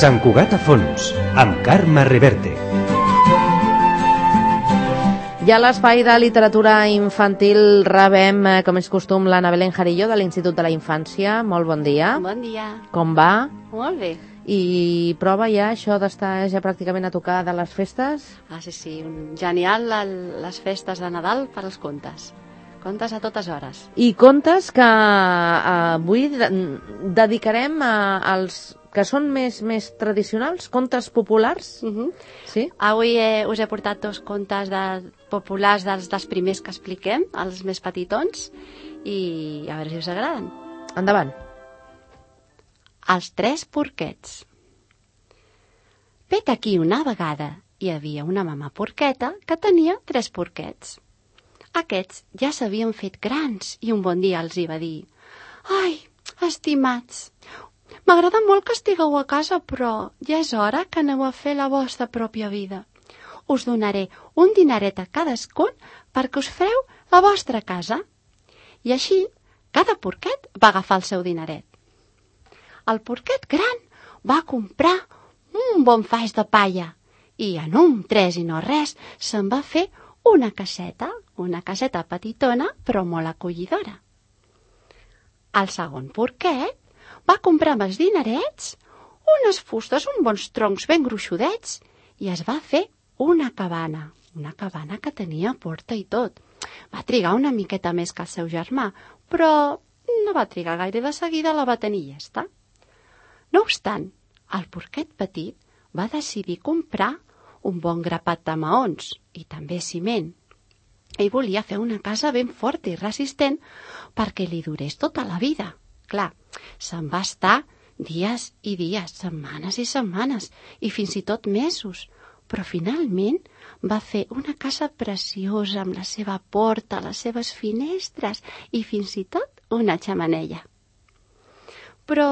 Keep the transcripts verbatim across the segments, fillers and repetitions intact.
Sant Cugat a fons, amb Carme Reverte. I a l'espai de literatura infantil rebem, com és costum, l'Anna Belén Jarillo de l'Institut de la Infància. Molt bon dia. Bon dia. Com va? Molt bé. I prova ja això d'estar ja pràcticament a tocar de les festes? Ah, sí, sí. Un genial les festes de Nadal per als contes. Contes a totes hores. I contes que avui dedicarem als que són més, més tradicionals, contes populars. Uh-huh. Sí? Avui eh, us he portat dos contes de, populars dels, dels primers que expliquem, els més petitons, i a veure si us agraden. Endavant. Els tres porquets. Vet aquí una vegada hi havia una mama porqueta que tenia tres porquets. Aquests ja s'havien fet grans i un bon dia els hi va dir: «Ai, estimats, m'agrada molt que estigueu a casa, però ja és hora que aneu a fer la vostra pròpia vida. Us donaré un dineret a cadascun perquè us fareu la vostra casa». I així, cada porquet va agafar el seu dineret. El porquet gran va comprar un bon faix de palla i en un tres i no res se'n va fer una caseta, una caseta petitona però molt acollidora. El segon porquet va comprar amb els dinerets unes fustes, uns bons troncs ben gruixudets i es va fer una cabana, una cabana que tenia porta i tot. Va trigar una miqueta més que el seu germà, però no va trigar gaire, de seguida la va tenir llesta. No obstant, el porquet petit va decidir comprar un bon grapat de maons i també ciment. Ell volia fer una casa ben forta i resistent perquè li durés tota la vida. Clar, se'n va estar dies i dies, setmanes i setmanes, i fins i tot mesos. Però finalment va fer una casa preciosa amb la seva porta, les seves finestres i fins i tot una xemeneia. Però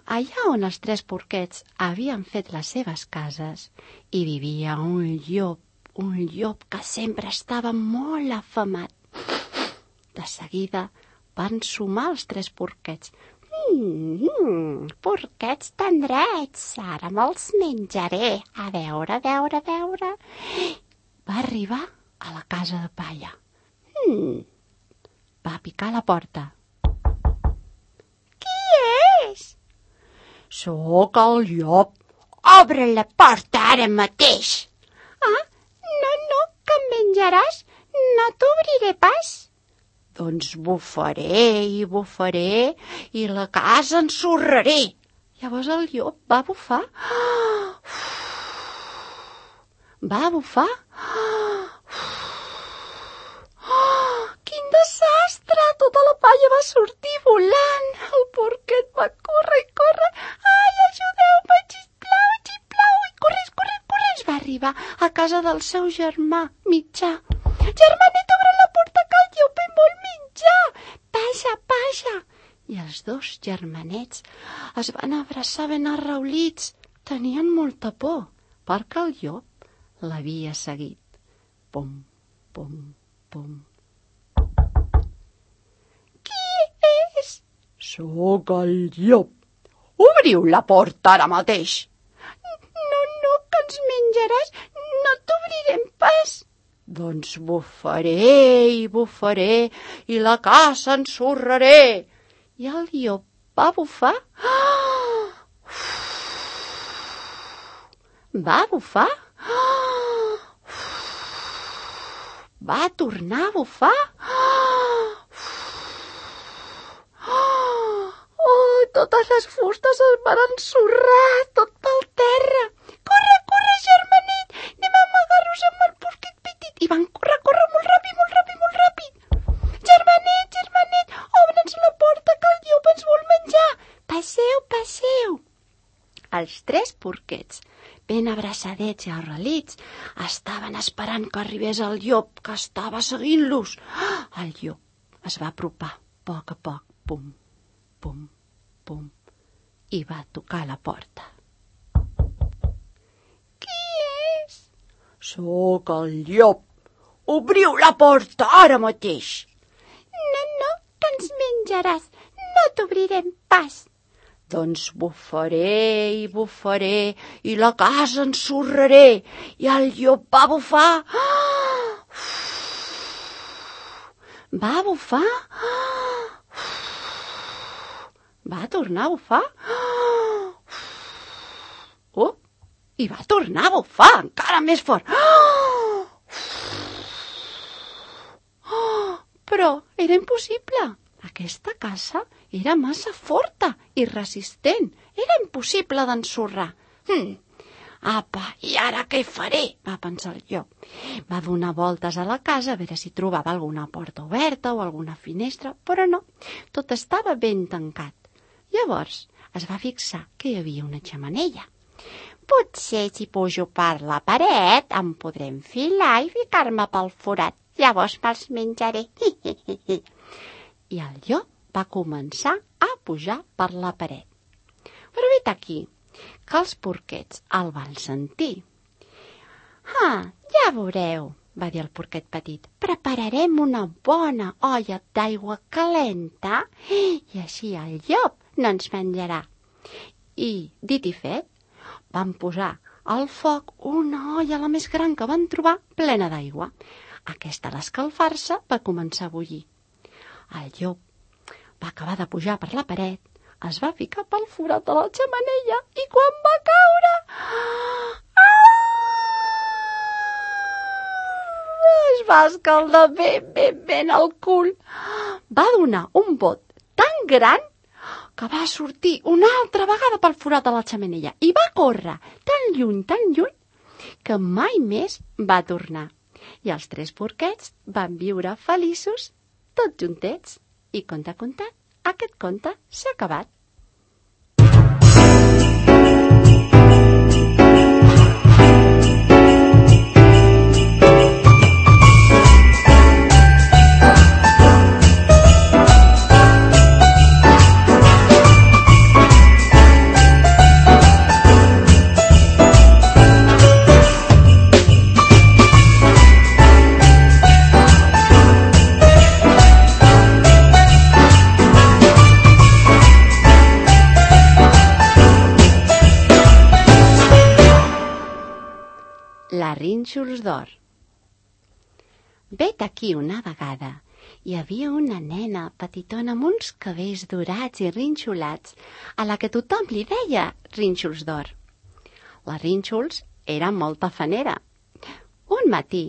allà on els tres porquets havien fet les seves cases hi vivia un llop, un llop que sempre estava molt afamat. De seguida van sumar els tres porquets. Mm, porquets tendrets, ara me'ls menjaré. A veure, a veure, a veure. Va arribar a la casa de palla. Mm, va picar a la porta. Qui és? Soc el llop. Obre la porta ara mateix. Ah, no, no, que em menjaràs. No t'obriré pas. Doncs bufaré i bufaré i la casa ensorraré. Llavors el llop va bufar. Va bufar. Quin desastre! Tota la palla va sortir volant. El porquet va córrer i córrer. Ai, ajudeu-me, xiplau, xiplau. I corres, corres, corres. Va arribar a casa del seu germà mitjà. Germanet, obre la porta que el llop em vol menjar. Passa, passa. I els dos germanets es van abraçar ben arraulits. Tenien molta por, perquè el llop l'havia seguit. Pum, pum, pum. Qui és? Soc el llop. Obriu la porta ara mateix. No, no, que ens menjaràs. No t'obrirem pas. Doncs bufaré i bufaré i la casa ensorraré. I el llop va bufar. Va bufar. Va tornar a bufar. Oh, totes les fustes es van ensorrar, tot pel terra. Corre, corre, germanet, anem a amagar-nos amb el porquet petit. I van córrer, córrer molt ràpid, molt ràpid, molt ràpid. Germanet, germanet, obre'ns la porta que el llop ens vol menjar. Passeu, passeu. Els tres porquets, ben abraçadets i arrelits, estaven esperant que arribés el llop, que estava seguint-los. El llop es va apropar a poc a poc, pum, pum, pum, i va tocar la porta. Qui és? Soc el llop. Obriu la porta ara mateix. No, no, que ens menjaràs. No t'obrirem pas. Doncs bufaré i bufaré i la casa ensorraré. I el llop va bufar. Va bufar. Va tornar a bufar. Oh, i va tornar a bufar encara més fort. Però era impossible. Aquesta casa era massa forta i resistent. Era impossible d'ensorrar. Hm. Apa, i ara què faré? Va pensar el llop. Va donar voltes a la casa a veure si trobava alguna porta oberta o alguna finestra, però no. Tot estava ben tancat. Llavors es va fixar que hi havia una xemeneia. Potser si pujo per la paret em podré enfilar i ficar-me pel forat. Llavors me'ls menjaré. I el llop va començar a pujar per la paret. Però vet aquí, que els porquets el van sentir. Ah, ja veureu, va dir el porquet petit. Prepararem una bona olla d'aigua calenta i així el llop no ens menjarà. I, dit i fet, van posar al foc una olla la més gran que van trobar plena d'aigua. Aquesta, a l'escalfar-se, va començar a bullir. El llop va acabar de pujar per la paret, es va ficar pel forat de la xemeneia i quan va caure... Es va escaldar ben, ben, ben el cul. Va donar un bot tan gran que va sortir una altra vegada pel forat de la xemeneia i va córrer tan lluny, tan lluny, que mai més va tornar. I els tres porquets van viure feliços tots juntets. I conte contat, aquest conte s'ha acabat. La rínxols d'or. Vet aquí una vegada hi havia una nena petitona amb uns cabells dorats i rínxolats a la que tothom li deia rínxols d'or. La rínxols era molt tafanera. Un matí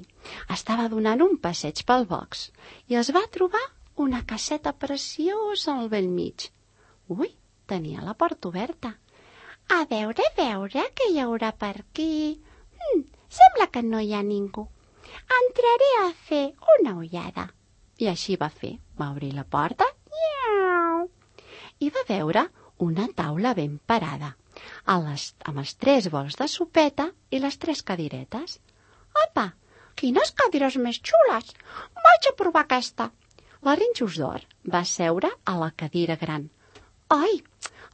estava donant un passeig pel box i es va trobar una caseta preciosa al bell mig. Ui, tenia la porta oberta. A veure, a veure, què hi haurà per aquí? Hm, sembla que no hi ha ningú. Entraré a fer una ullada. I així va fer. Va obrir la porta i va veure una taula ben parada, a les, amb els tres bols de sopeta i les tres cadiretes. Apa, quines cadires més xules! Vaig a provar aquesta. La rínxols d'or va seure a la cadira gran. Ai,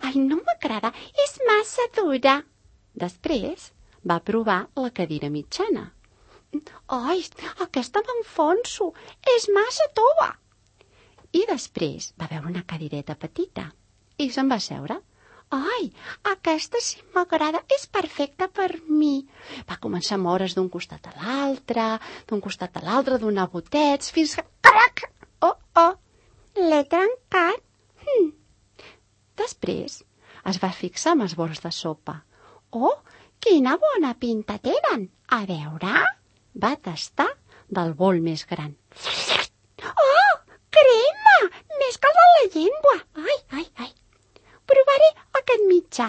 ai, no m'agrada, és massa dura. Després va provar la cadira mitjana. Ai, aquesta m'enfonso, és massa tova. I després va veure una cadireta petita i se'n va seure. Ai, aquesta sí m'agrada, és perfecta per mi. Va començar a moure's d'un costat a l'altre, d'un costat a l'altre, donar botets, fins que... Crac! Oh, oh, l'he trencat. Hm. Després es va fixar amb els bols de sopa. Oh, quina bona pinta tenen! A veure... Va tastar del bol més gran. Oh, crema! Més que el de la llengua. Ai, ai, ai. Provaré aquest mitjà.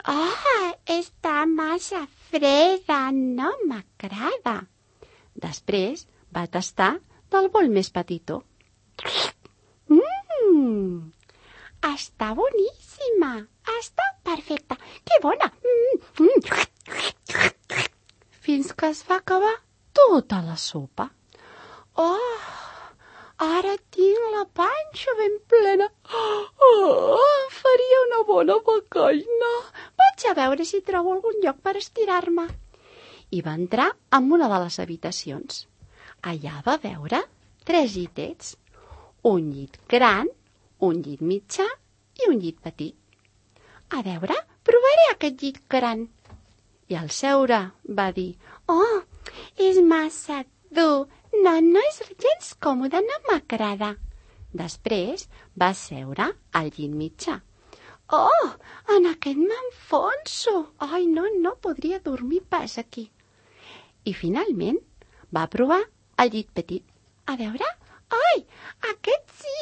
Ah, està massa freda, no m'agrada. Després va tastar del bol més petitó. Mmm, està boníssima, està perfecta, que bona. Mm, mm. Fins que es va acabar tota la sopa. Oh, ara tinc la panxa ben plena. Oh, em faria una bona becaina. Vaig a veure si trobo algun lloc per estirar-me. I va entrar en una de les habitacions. Allà va veure tres llitets. Un llit gran, un llit mitjà i un llit petit. A veure, provaré aquest llit gran. I al seure va dir, oh, és massa dur, no, no és gens còmode, no m'agrada. Després va seure al llit mitjà. Oh, en aquest m'enfonso. Ai, no, no podria dormir pas aquí. I finalment va provar el llit petit. A veure, ai, aquest sí,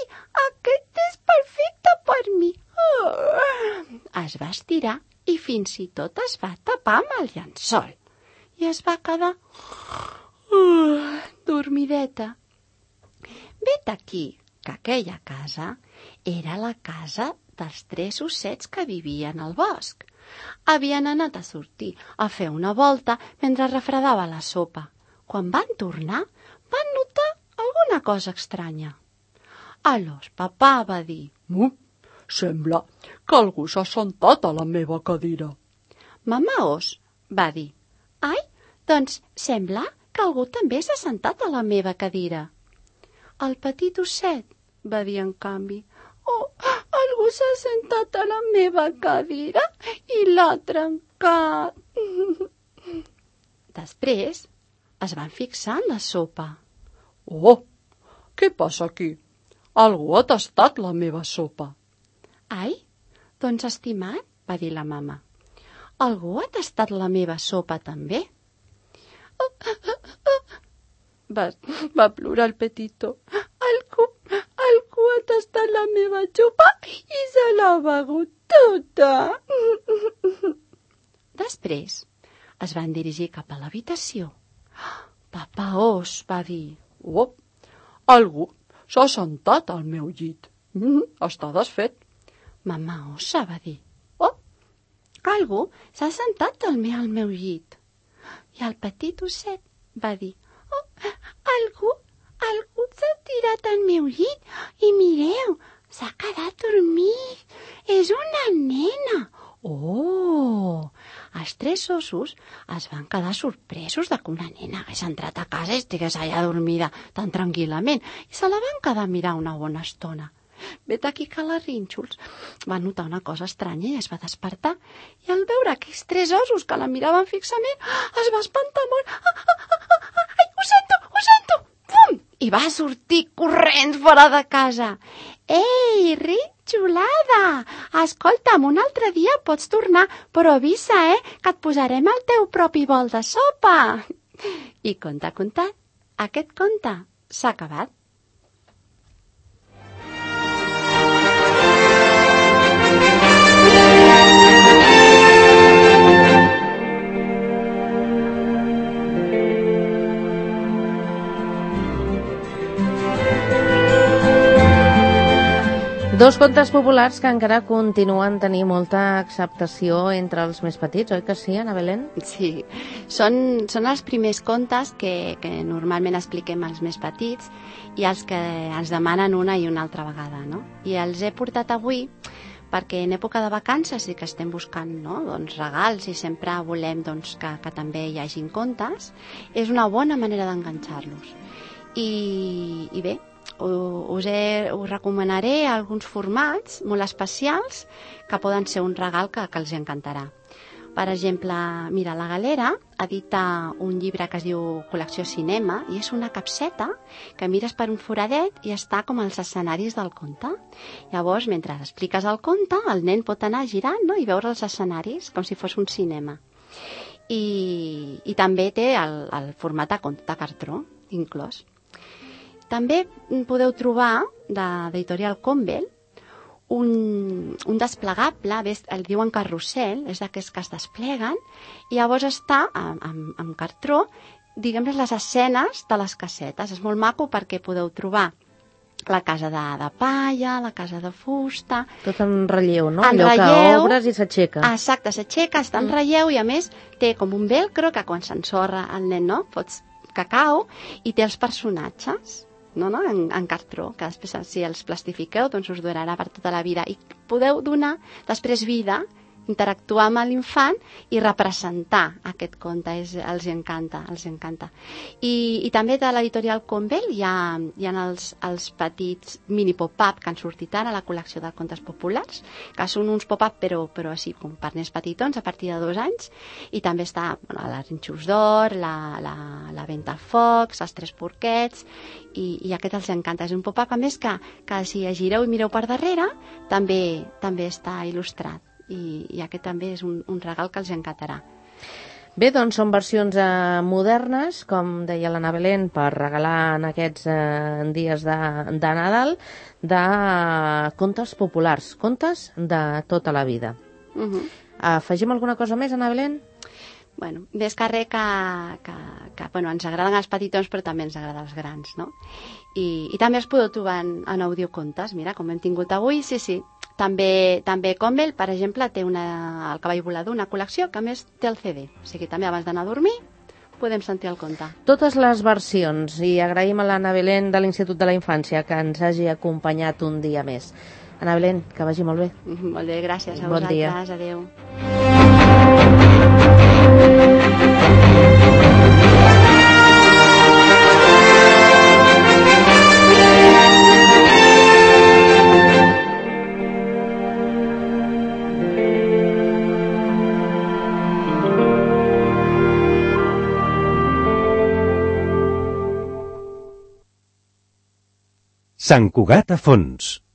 aquest és perfecte per mi. Oh. Es va estirar i fins i tot es va tapar amb el llençol. I es va quedar uh, dormideta. Vet aquí que aquella casa era la casa dels tres ossets que vivien al bosc. Havien anat a sortir a fer una volta mentre refredava la sopa. Quan van tornar, van notar alguna cosa estranya. Aleshores, papà va dir, mm, sembla que algú s'ha sentat a la meva cadira. Mamà os va dir, ai, doncs sembla que algú també s'ha sentat a la meva cadira. El petit osset va dir en canvi, oh, algú s'ha sentat a la meva cadira i l'ha trencat. Després es van fixar en la sopa. Oh, què passa aquí? Algú ha tastat la meva sopa. Ai, doncs estimat, va dir la mama, algú ha tastat la meva sopa també? Oh, oh, oh. Va, va plorar el petito. Algú, algú ha tastat la meva sopa i se l'ha begut tota. Després es van dirigir cap a l'habitació. Papà os va dir, oh, algú s'ha sentat al meu llit. Mm, està desfet. Mamà ossa va dir, oh, algú s'ha sentat al meu, al meu llit. I el petit osset va dir, oh, algú, algú s'ha tirat al meu llit i mireu, s'ha quedat dormit. És una nena. Oh! Els tres ossos es van quedar sorpresos de que una nena hagués entrat a casa i estigués allà dormida tan tranquil·lament i se la van quedar a mirar una bona estona. Vet aquí que la Rínxols va notar una cosa estranya i es va despertar i al veure aquells tres ossos que la miraven fixament es va espantar molt. Ah, ah, ah, ah, ai, ho sento, ho sento! Pum! I va sortir corrents fora de casa. Ei, Rínxolada! Escolta'm, un altre dia pots tornar, però avisa, eh, que et posarem el teu propi bol de sopa. I conte contat, aquest conte s'ha acabat. Dos contes populars que encara continuen tenint molta acceptació entre els més petits, oi que sí, Ana Belén? Sí, són, són els primers contes que, que normalment expliquem als més petits i els que ens demanen una i una altra vegada, no? I els he portat avui perquè en època de vacances sí que estem buscant, no? doncs, regals i sempre volem doncs, que, que també hi hagin contes. És una bona manera d'enganxar-los. I, i bé, us, he, us recomanaré alguns formats molt especials que poden ser un regal que, que els encantarà. Per exemple, mira, la Galera edita un llibre que es diu Col·lecció Cinema i és una capseta que mires per un foradet i està com els escenaris del conte. Llavors, mentre expliques el conte, el nen pot anar girant, no?, i veure els escenaris com si fos un cinema. I, i també té el, el format de conte de cartró inclòs. També podeu trobar, d'Editorial Convel, un, un desplegable, el diuen carrusel, és d'aquests que es despleguen, i llavors està amb, amb, amb cartró, diguem les escenes de les casetes. És molt maco perquè podeu trobar la casa de, de palla, la casa de fusta... Tot en relleu, no? En Allò relleu, que obres i s'aixeca. Exacte, s'aixeca, està en relleu i a més té com un velcro que quan s'ensorra el nen, no?, fots cacau i té els personatges. No, no, en, en cartró, que després si els plastifiqueu doncs us durarà per tota la vida i podeu donar després vida interactuar amb l'infant i representar aquest conte. És, els encanta, els encanta. I, i també de l'editorial Convel hi ha, hi ha els, els petits mini pop-up que han sortit ara a la col·lecció de contes populars, que són uns pop-up però, però així com per nens petitons a partir de dos anys, i també està bueno, la Rinxos d'Or, la, la, la Ventafocs, els Tres Porquets, i, i aquest els encanta. És un pop-up, a més, que, que si gireu i mireu per darrere, també, també està il·lustrat, i, i aquest també és un, un regal que els encantarà. Bé, doncs són versions eh, modernes, com deia l'Anna Belén, per regalar en aquests eh, dies de, de Nadal, de eh, contes populars, contes de tota la vida. Uh -huh. Afegim alguna cosa més, Anna Belén? Bueno, més que res que, que, que bueno, ens agraden els petitons, però també ens agraden els grans, no? I, i també els podeu trobar en, en audiocontes, mira, com hem tingut avui, sí, sí. També, també Convel, per exemple, té una, el Cavall Volador, una col·lecció que a més té el C D. O sigui, també abans d'anar a dormir podem sentir el conte. Totes les versions, i agraïm a l'Anna Belén de l'Institut de la Infància que ens hagi acompanyat un dia més. Anna Belén, que vagi molt bé. Molt bé, gràcies a bon vosaltres. Dia. Adéu. Sant Cugat a fons.